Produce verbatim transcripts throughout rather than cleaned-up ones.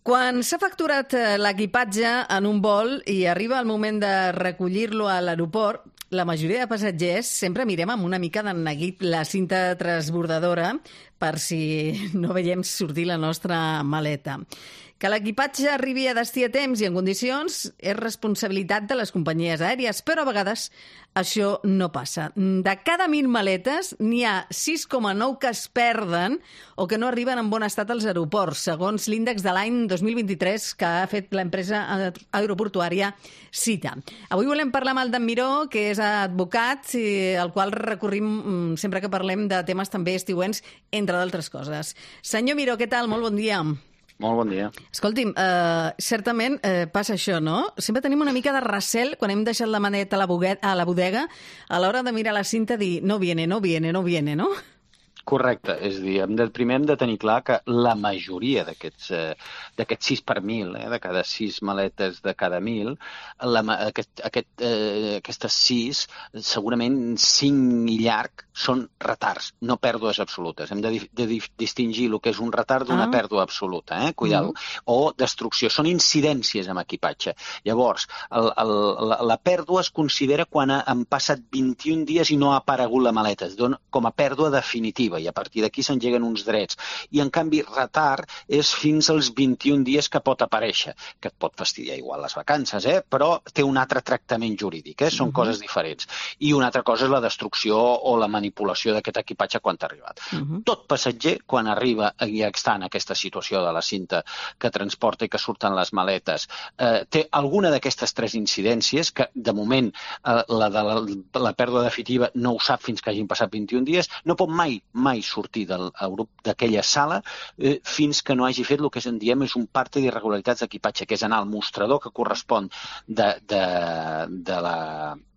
Quan s'ha facturat l'equipatge en un vol i arriba el moment de recollir-lo a l'aeroport, la majoria de passatgers sempre mirem amb una mica d'enneguit la cinta transbordadora per si no veiem sortir la nostra maleta. Que l'equipatge arribi a destí a temps i en condicions és responsabilitat de les companyies aèries, però a vegades això no passa. De cada mil maletes n'hi ha sis coma nou que es perden o que no arriben en bon estat als aeroports, segons l'índex de l'any dos mil vint-i-tres que ha fet l'empresa aeroportuària Cita. Avui volem parlar amb el Dan Miró, que és advocat, al qual recorrim sempre que parlem de temes també estiuents, entre d'altres coses. Senyor Miró, què tal? Molt bon dia. Molt bon dia. Escolti'm, eh, certament eh, passa això, no? Sempre tenim una mica de recel quan hem deixat la maneta a la, boguet, a la bodega a l'hora de mirar la cinta dir no viene, no viene, no viene, no? Correcte, és a dir, hem de, primer hem de tenir clar que la majoria d'aquests eh, sis per mil, eh, de cada sis maletes de cada mil, la, aquest, aquest, eh, aquestes sis, segurament cinc i llarg, són retards, no pèrdues absolutes. Hem de, de distingir el que és un retard d'una ah. pèrdua absoluta, eh? Cuidado. Mm. O destrucció. Són incidències amb equipatge. Llavors, el, el, la, la pèrdua es considera quan han passat vint-i-un dies i no ha aparegut la maleta. Es dona com a pèrdua definitiva i a partir d'aquí s'engeguen uns drets. I, en canvi, retard és fins als vint-i-un dies que pot aparèixer, que et pot fastidiar igual les vacances, eh? Però té un altre tractament jurídic, eh? Són uh-huh. coses diferents. I una altra cosa és la destrucció o la manipulació d'aquest equipatge quan t'ha arribat. Uh-huh. Tot passatger, quan arriba i està en aquesta situació de la cinta que transporta i que surten les maletes, eh, té alguna d'aquestes tres incidències que, de moment, eh, la de la, la pèrdua definitiva no ho sap fins que hagin passat vint-i-un dies, no pot mai, mai sortir del grup d'aquella sala eh, fins que no hagi fet el que en diem és un parte d'irregularitats d'equipatge, que és anar al mostrador que correspon de, de, de la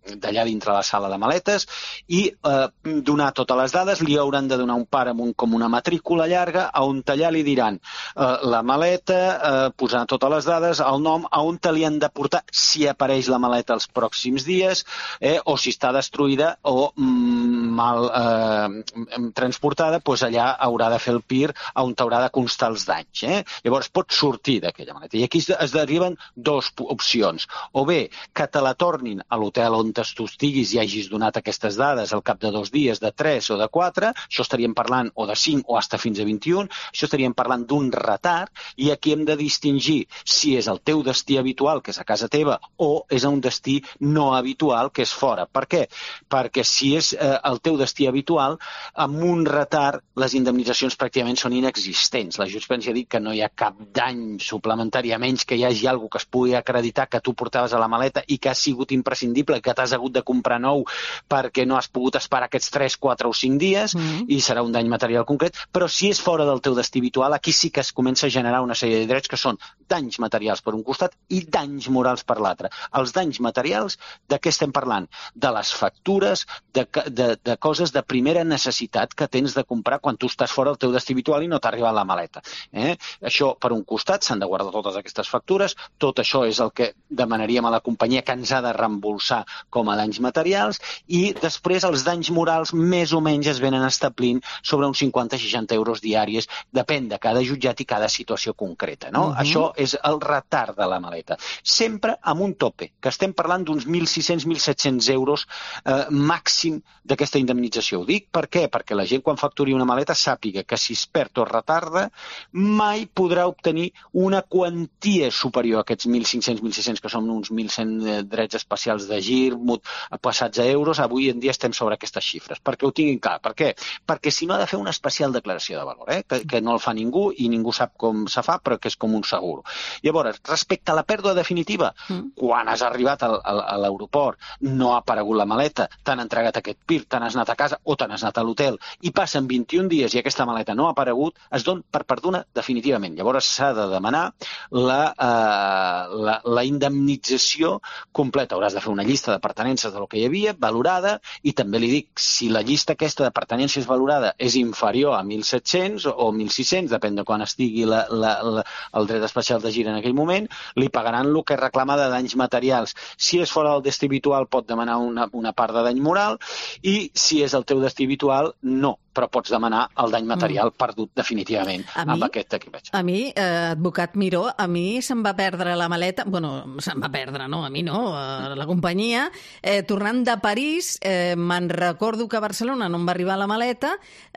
d'allà dintre la sala de maletes i eh, donar totes les dades. Li hauran de donar un pare amb un, com una matrícula llarga a on allà li diran eh, la maleta, eh, posar totes les dades, el nom, a on te li han de portar si apareix la maleta els pròxims dies, eh, o si està destruïda o mm, mal eh, transportada, doncs allà haurà de fer el P I R on t'haurà de constar els danys. Eh? Llavors pot sortir d'aquella maleta. I aquí es deriven dues opcions. O bé que te la tornin a l'hotel on tu estiguis i hagis donat aquestes dades al cap de dos dies, de tres o de quatre, això estaríem parlant o de cinc o hasta fins a vint-i-un, això estaríem parlant d'un retard i aquí hem de distingir si és el teu destí habitual, que és a casa teva, o és un destí no habitual, que és fora. Per què? Perquè si és eh, el teu destí habitual, amb un retard les indemnitzacions pràcticament són inexistents. La jurisprudència ha dit que no hi ha cap dany suplementari, a menys que hi hagi alguna que es pugui acreditar que tu portaves a la maleta i que ha sigut imprescindible, que t'has hagut de comprar nou perquè no has pogut esperar aquests tres, quatre o cinc dies mm. i serà un dany material concret, però si és fora del teu destí habitual, aquí sí que es comença a generar una sèrie de drets que són danys materials per un costat i danys morals per l'altre. Els danys materials, de què estem parlant? De les factures, de, de, de coses de primera necessitat que tens de comprar quan tu estàs fora del teu destí habitual i no t'ha arribat la maleta. Eh? Això, per un costat, s'han de guardar totes aquestes factures, tot això és el que demanaríem a la companyia que ens ha de reembolsar com a danys materials, i després els danys morals més o menys es venen establint sobre uns cinquanta a seixanta euros diaris, depèn de cada jutjat i cada situació concreta. No? Uh-huh. Això és el retard de la maleta. Sempre amb un tope, que estem parlant d'uns mil sis-cents a mil set-cents euros eh, màxim d'aquesta indemnització. Ho dic per què? Perquè la gent quan facturi una maleta sàpiga que si es perd o retarda mai podrà obtenir una quantia superior a aquests mil cinc-cents a mil sis-cents, que són uns mil cent drets especials de gir, passats a euros. Avui en dia estem sobre aquestes xifres, perquè ho tinguin clar. Per què? Perquè si no ha de fer una especial declaració de valor, eh? que, que no el fa ningú i ningú sap com se fa, però que és com un seguro. Llavors, respecte a la pèrdua definitiva, mm. quan has arribat al, al, a l'aeroport, no ha aparegut la maleta, t'han entregat aquest P I R, te n'has anat a casa o te n'has anat a l'hotel i passen vint-i-un dies i aquesta maleta no ha aparegut, es don per perduda definitivament. Llavors s'ha de demanar la, eh, la, la indemnització completa. Hauràs de fer una llista de pertinences del que hi havia, valorada, i també li dic, si la llista aquesta de pertinences valorada és inferior a mil set-cents o mil sis-cents, depèn de quan estigui la, la, la, el dret especial de gir en aquell moment, li pagaran el que reclama de danys materials. Si és fora del destí habitual pot demanar una, una part de dany moral, i si és el teu destí habitual, no, però pots demanar el dany material mm. perdut definitivament a mi, amb aquest equipatge. A mi, eh, advocat Miró, a mi se'm va perdre la maleta, bueno, se'm va perdre, no, a mi no, a la companyia, eh, tornant de París, eh, me'n recordo que a Barcelona no em va arribar la maleta,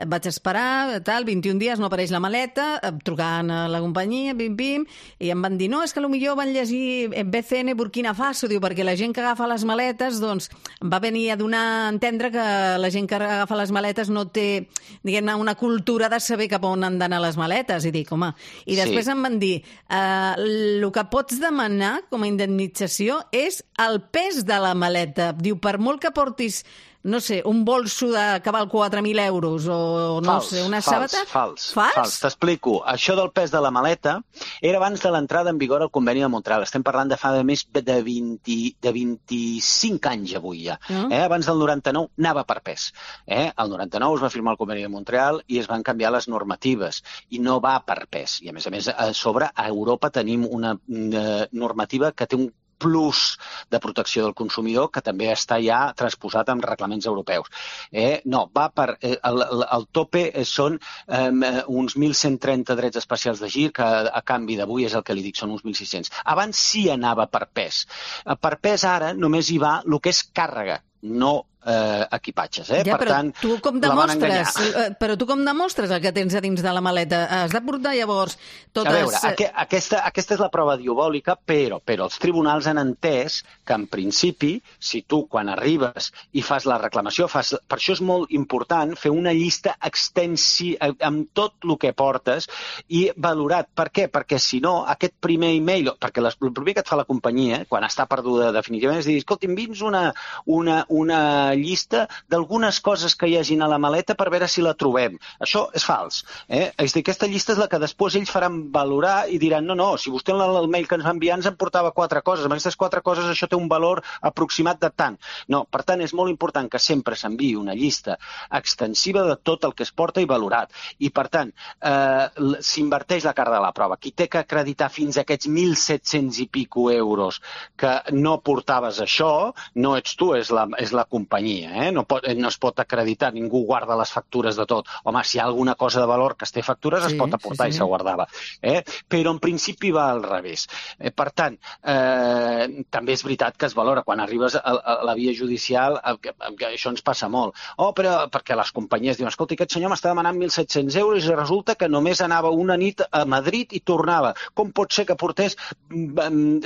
vaig esperar, tal, vint-i-un dies no apareix la maleta, trucant a la companyia, pim, pim, i em van dir, no, és que potser van llegir B C N Burkina Faso, diu, perquè la gent que agafa les maletes, doncs, va venir a donar a entendre que la gent que agafa les maletes no té, diguem-ne, una cultura de saber cap on han d'anar les maletes, i dic, home, i després sí. Em van dir, eh, el que pots demanar com a indemnització és el pes de la maleta. Diu, per molt que portis, no sé, un bolso de que val quatre mil euros o, no fals, sé, una fals, sàbata... Fals, fals. Fals, t'explico. Això del pes de la maleta era abans de l'entrada en vigor al conveni de Montreal. Estem parlant de fa de més de, vint, de vint-i-cinc anys avui ja. Mm. Eh? Abans del noranta-nou anava per pes. Eh? El noranta-nou es va firmar el conveni de Montreal i es van canviar les normatives i no va per pes. I a més a més, a sobre, a Europa tenim una, una normativa que té un plus de protecció del consumidor que també està ja transposat en reglaments europeus. Eh, no, va per... Eh, el, el, el tope són eh, uns mil cent trenta drets especials de gir, que a, a canvi d'avui és el que li dic, són uns mil sis-cents. Abans sí anava per pes. Per pes ara només hi va el que és càrrega, no eh, equipatges. Eh? Ja, per però tant, tu com demostres, però tu com demostres el que tens a dins de la maleta? Has de portar llavors totes... A veure, aqu aquesta, aquesta és la prova diabòlica, però, però els tribunals han entès que en principi, si tu quan arribes i fas la reclamació, fas, per això és molt important fer una llista extensi amb tot el que portes i valorat. Per què? Perquè si no, aquest primer e-mail, perquè les, el primer que et fa la companyia, quan està perduda definitivament, és dir, escolta, envia'ns una, una, una llista d'algunes coses que hi hagin a la maleta per veure si la trobem. Això és fals. Eh? És dir, aquesta llista és la que després ells faran valorar i diran, no, no, si vostè en el mail que ens va enviar ens en portava quatre coses, amb aquestes quatre coses això té un valor aproximat de tant. No, per tant, és molt important que sempre s'enviï una llista extensiva de tot el que es porta i valorat. I, per tant, eh, s'inverteix la càrrega de la prova. Qui té que acreditar fins a aquests mil set-cents i pico euros que no portaves això, no ets tu, és la, és la companyia. Eh? No, pot, no es pot acreditar, ningú guarda les factures de tot. Home, si hi ha alguna cosa de valor que es té factures, sí, es pot aportar sí, sí. I se guardava. Eh? Però en principi va al revés. Eh, per tant, eh, també és veritat que es valora. Quan arribes a, a la via judicial, a, a, a, això ens passa molt. Oh, però perquè les companyies diuen, escolta, aquest senyor m'està demanant mil set-cents euros i resulta que només anava una nit a Madrid i tornava. Com pot ser que portés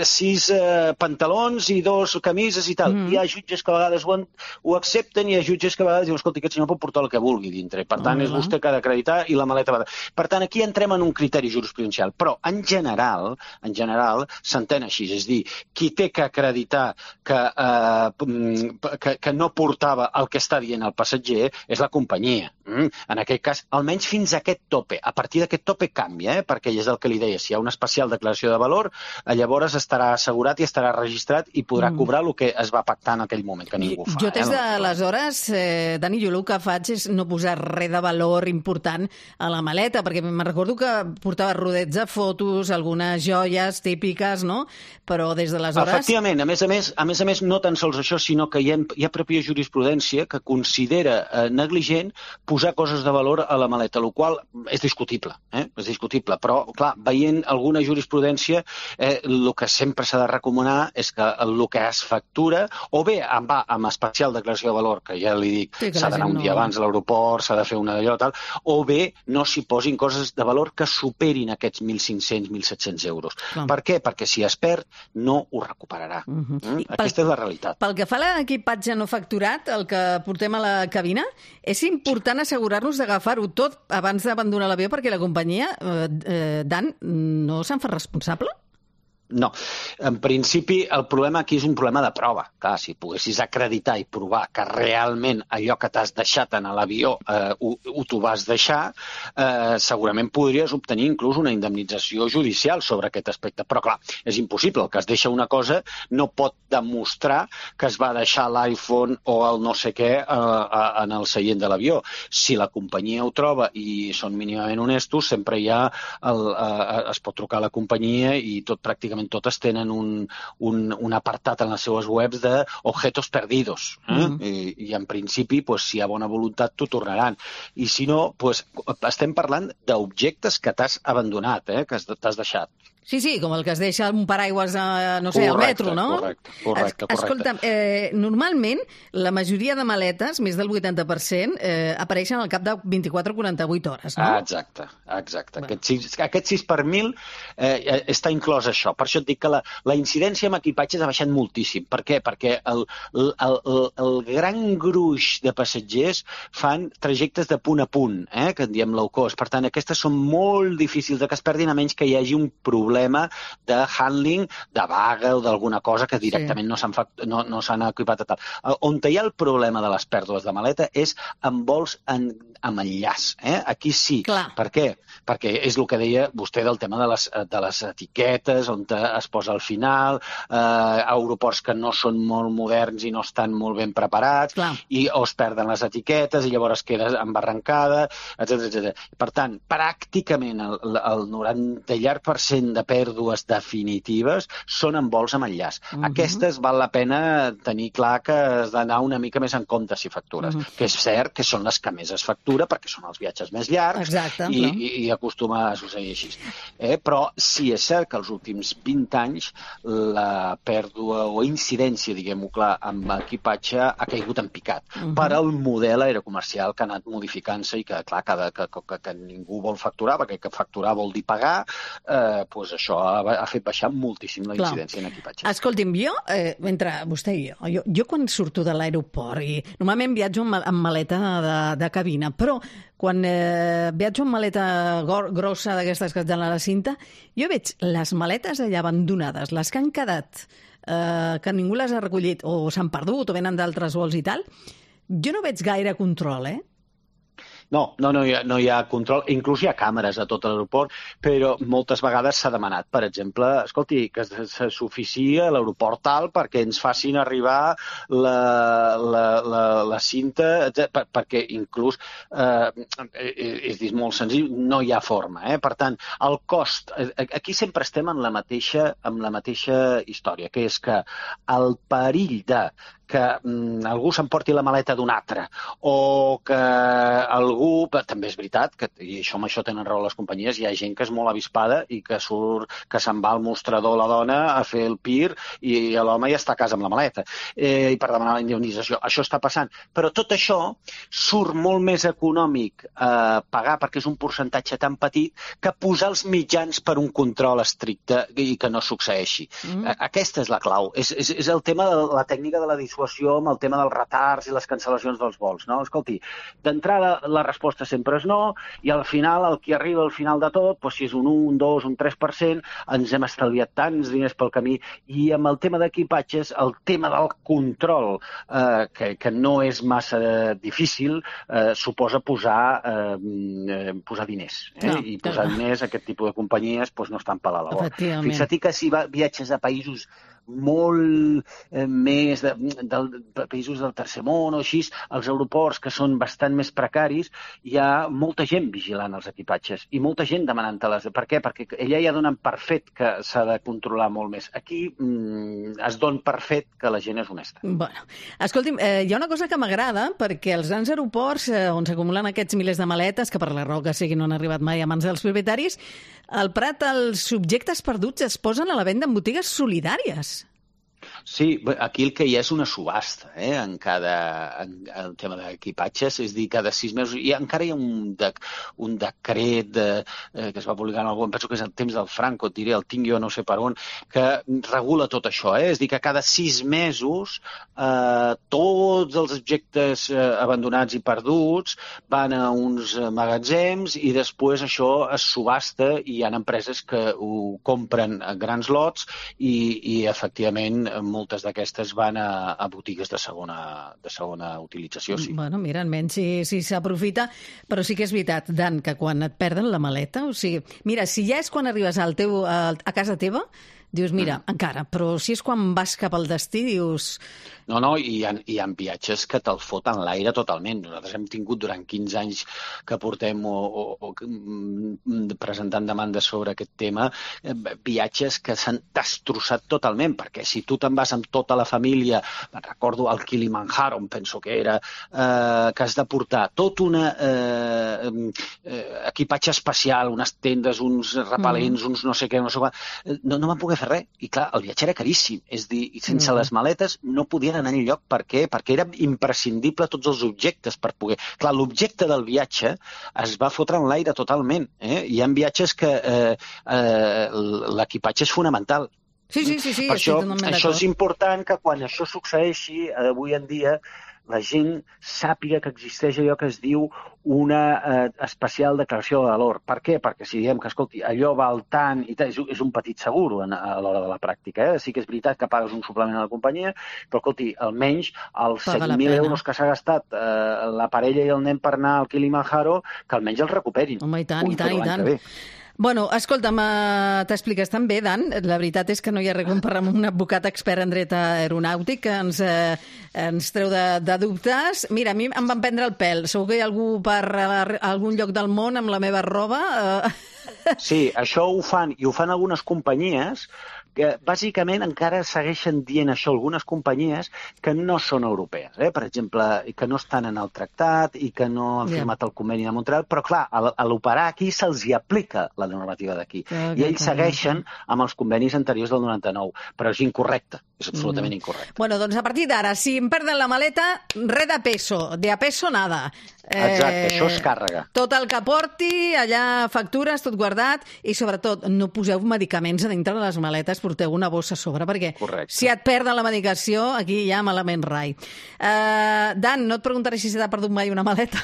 sis eh, pantalons i dos camises i tal? Mm. Hi ha jutges que a vegades ho, ho accepten i hi ha jutges que a vegades diuen, escolta, aquest senyor pot portar el que vulgui dintre. Per tant, uh -huh. és vostè que ha d'acreditar i la maleta va... Per tant, aquí entrem en un criteri jurisprudencial. Però, en general, en general, s'entén així. És dir, qui té que acreditar que, eh, que, que no portava el que està dient el passatger és la companyia. Mm? En aquest cas, almenys fins a aquest tope. A partir d'aquest tope canvia, eh? Perquè és el que li deia. Si hi ha una especial declaració de valor, llavors estarà assegurat i estarà registrat i podrà mm. cobrar el que es va pactar en aquell moment, que ningú fa. Jo des d'aleshores, eh, Dani, jo el que faig és no posar res de valor important a la maleta, perquè me'n recordo que portava rodets de fotos, algunes joies típiques, no? Però des d'aleshores... Efectivament, a més a més, a més a més, no tan sols això, sinó que hi ha, hi ha pròpia jurisprudència que considera eh, negligent posar coses de valor a la maleta, el qual és discutible, eh? És discutible, però, clar, veient alguna jurisprudència, eh, el que sempre s'ha de recomanar és que el que es factura, o bé va amb especial declaració de valor, que ja li dic, sí, s'ha d'anar un dia no... abans a l'aeroport, s'ha de fer una d'allò, tal, o bé no s'hi posin coses de valor que superin aquests mil cinc-cents, mil set-cents euros. Clar. Per què? Perquè si es perd, no ho recuperarà. Uh -huh. mm? Aquesta pel, és la realitat. Pel que fa a l'equipatge no facturat, el que portem a la cabina, és important assegurar-nos d'agafar-ho tot abans d'abandonar l'avió perquè la companyia, eh, eh, Dan, no se'n fa responsable? No. En principi, el problema aquí és un problema de prova. Clar, si poguessis acreditar i provar que realment allò que t'has deixat en l'avió eh, ho, ho t'ho vas deixar, eh, segurament podries obtenir inclús una indemnització judicial sobre aquest aspecte. Però, clar, és impossible. El que es deixa una cosa no pot demostrar que es va deixar l'iPhone o el no sé què eh, en el seient de l'avió. Si la companyia ho troba i són mínimament honestos, sempre hi ha el, eh, es pot trucar a la companyia i tot pràcticament pràcticament totes tenen un, un, un apartat en les seues webs de objetos perdidos. Eh? Mm. I, I en principi, pues, si hi ha bona voluntat, t'ho tornaran. I si no, pues, estem parlant d'objectes que t'has abandonat, eh? Que t'has deixat. Sí, sí, com el que es deixa un paraigües, a, no sé, correcte, al metro, no? Correcte, correcte, correcte. Escolta'm, eh, normalment la majoria de maletes, més del vuitanta per cent, eh, apareixen al cap de vint-i-quatre a quaranta-vuit hores, no? Ah, exacte, exacte. Bueno. Aquest, sis, aquest sis per mil eh, està inclòs això. Per això et dic que la, la incidència amb equipatges ha baixat moltíssim. Per què? Perquè el, el, el, el gran gruix de passatgers fan trajectes de punt a punt, eh, que en diem low cost. Per tant, aquestes són molt difícils de que es perdin, a menys que hi hagi un problema de handling, de vaga o d'alguna cosa que directament sí. no s'han no, no s'han equipat a tal. On hi ha el problema de les pèrdues de maleta és en vols en, amb enllaç. Eh? Aquí sí. Clar. Per què? Perquè és el que deia vostè del tema de les, de les etiquetes, on es posa al final, eh, aeroports que no són molt moderns i no estan molt ben preparats, Clar. i o es perden les etiquetes i llavors queda embarrancada, etcètera, etcètera. Per tant, pràcticament el, el noranta llarg per cent de pèrdues definitives són en vols amb enllaç. Uh -huh. Aquestes val la pena tenir clar que has d'anar una mica més en compte si factures, uh -huh. que és cert que són les que més es factura perquè són els viatges més llargs. Exacte, i, i, i acostuma a succeir així. Eh? Però sí és cert que els últims vint anys la pèrdua o incidència, diguem-ho clar, amb equipatge ha caigut en picat uh -huh. per al model aerocomercial que ha anat modificant-se i que, clar, que, que, que, que ningú vol facturar, perquè que facturar vol dir pagar, eh, doncs això ha, ha fet baixar moltíssim la incidència Clar. en equipatge. Escolti'm, jo, eh, entre vostè i jo, jo, jo quan surto de l'aeroport, i normalment viatjo amb, amb maleta de, de cabina, però quan eh, viatjo amb maleta grossa d'aquestes que et donen a la cinta, jo veig les maletes allà abandonades, les que han quedat, eh, que ningú les ha recollit, o s'han perdut, o venen d'altres vols i tal, jo no veig gaire control, eh? No, no, no hi, ha, no hi ha control. Inclús hi ha càmeres a tot l'aeroport, però moltes vegades s'ha demanat, per exemple, escolti, que s'oficiï a l'aeroport tal perquè ens facin arribar la, la, la, la cinta, per, perquè inclús, eh, és dir, molt senzill, no hi ha forma. Eh? Per tant, el cost... Aquí sempre estem en la mateixa, en la mateixa història, que és que el perill de que mm, algú s'emporti la maleta d'un altre, o que algú... També és veritat, que, i això, amb això tenen raó les companyies, hi ha gent que és molt avispada i que surt, que se'n va al mostrador la dona a fer el pir i l'home ja està a casa amb la maleta, eh, i per demanar la indemnització. Això està passant. Però tot això surt molt més econòmic eh, pagar, perquè és un percentatge tan petit, que posar els mitjans per un control estricte i que no succeeixi. Mm. Aquesta és la clau. És, és, és el tema de la tècnica de la dissuasió amb el tema dels retards i les cancel·lacions dels vols, no? Escolti, d'entrada la resposta sempre és no, i al final, el que arriba al final de tot, doncs si és un un, un dos, un tres per cent, ens hem estalviat tants diners pel camí. I amb el tema d'equipatges, el tema del control, eh, que, que no és massa difícil, eh, suposa posar, eh, posar diners. Eh? No, I posar no. diners a aquest tipus de companyies doncs no estan per la labor. Fixa't que si viatges a països molt eh, més de, de, de països del tercer món o així, els aeroports que són bastant més precaris, hi ha molta gent vigilant els equipatges i molta gent demanant-te-les. Per què? Perquè ella ja donen per fet que s'ha de controlar molt més. Aquí mm, es don per fet que la gent és honesta. Bueno, escolti'm, eh, hi ha una cosa que m'agrada, perquè els grans aeroports eh, on s'acumulen aquests milers de maletes, que per la raó que sigui no han arribat mai a mans dels propietaris, al Prat els subjectes perduts es posen a la venda en botigues solidàries. Sí, aquí el que hi ha és una subhasta, eh, en cada en, en el tema d'equipatges, és dir, cada sis mesos, i encara hi ha un, de, un decret de, eh, que es va publicar en algun, penso que és el temps del Franco, et diré, el tinc jo no sé per on, que regula tot això, eh? És dir, que cada sis mesos eh, tots els objectes eh, abandonats i perduts van a uns magatzems i després això es subhasta i hi ha empreses que ho compren a grans lots i, i efectivament moltes d'aquestes van a, a botigues de segona, de segona utilització, sí. Bueno, mira, almenys si, si s'aprofita, però sí que és veritat, Dan, que quan et perden la maleta, o sigui, mira, si ja és quan arribes al teu, a, a casa teva, dius, mira, mm. encara, però si és quan vas cap al destí, dius... No, no, i hi ha, hi ha viatges que te'l foten l'aire totalment. Nosaltres hem tingut durant quinze anys que portem o, o, o presentant demandes sobre aquest tema, viatges que s'han destrossat totalment, perquè si tu te'n vas amb tota la família, me'n recordo el Kilimanjaro, em penso que era, eh, que has de portar tot un eh, eh, equipatge espacial, unes tendes, uns repel·lents, mm. uns no sé què, no sé què, no, no van poder fer res. I clar, el viatge era caríssim, és dir, sense mm. les maletes no podien anar enlloc. Per què? Perquè era imprescindible tots els objectes per poder... Clar, l'objecte del viatge es va fotre en l'aire totalment. Eh? Hi ha viatges que eh, eh, l'equipatge és fonamental. Sí, sí, sí, sí, per això, això és important que quan això succeeixi avui en dia la gent sàpiga que existeix allò que es diu una eh, especial declaració de valor. Per què? Perquè si diem que, escolti, allò val tant i tal, és, és un petit seguro en, a l'hora de la pràctica. Eh? Sí que és veritat que pagues un suplement a la companyia, però, escolti, almenys els set mil euros que s'ha gastat eh, la parella i el nen per anar al Kilimanjaro, que almenys els recuperin. Home, i tant, i tant, i tant. Bueno, escolta'm, t'expliques tan bé, Dan. La veritat és que no hi ha res com parlar amb un advocat expert en dret aeronàutic que ens, eh, ens treu de, de dubtes. Mira, a mi em van prendre el pèl. Segur que hi ha algú per algun lloc del món amb la meva roba. Sí, això ho fan, i ho fan algunes companyies que bàsicament encara segueixen dient això algunes companyies que no són europees, eh? Per exemple, que no estan en el tractat i que no han firmat el conveni de Montreal, però clar, a l'operar aquí se'ls hi aplica la normativa d'aquí. I ells segueixen amb els convenis anteriors del noranta-nou, però és incorrecte, és absolutament incorrecte. Bueno, doncs a partir d'ara, si em perden la maleta, res de peso, de a peso nada. Exacte, això és càrrega. Tot el que porti, allà factures, tot guardat, i sobretot no poseu medicaments a dintre de les maletes, porteu una bossa a sobre, perquè Correcte. Si et perden la medicació, aquí hi ha malament rai. Uh, Dan, no et preguntaré si s'ha perdut mai una maleta.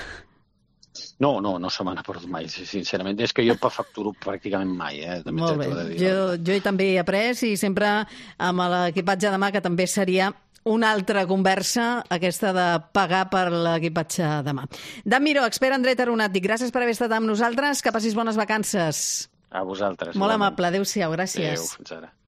No, no, no se m'ha perdut mai, sincerament. És que jo facturo pràcticament mai. Eh? També Molt bé. De dir, jo, jo també he après i sempre amb l'equipatge de mà, que també seria una altra conversa, aquesta de pagar per l'equipatge de mà. Dan Miró, expert en dret aeronàutic, gràcies per haver estat amb nosaltres. Que passis bones vacances. A vosaltres. Molt amable. Adéu-siau. Gràcies. Adéu, fins ara.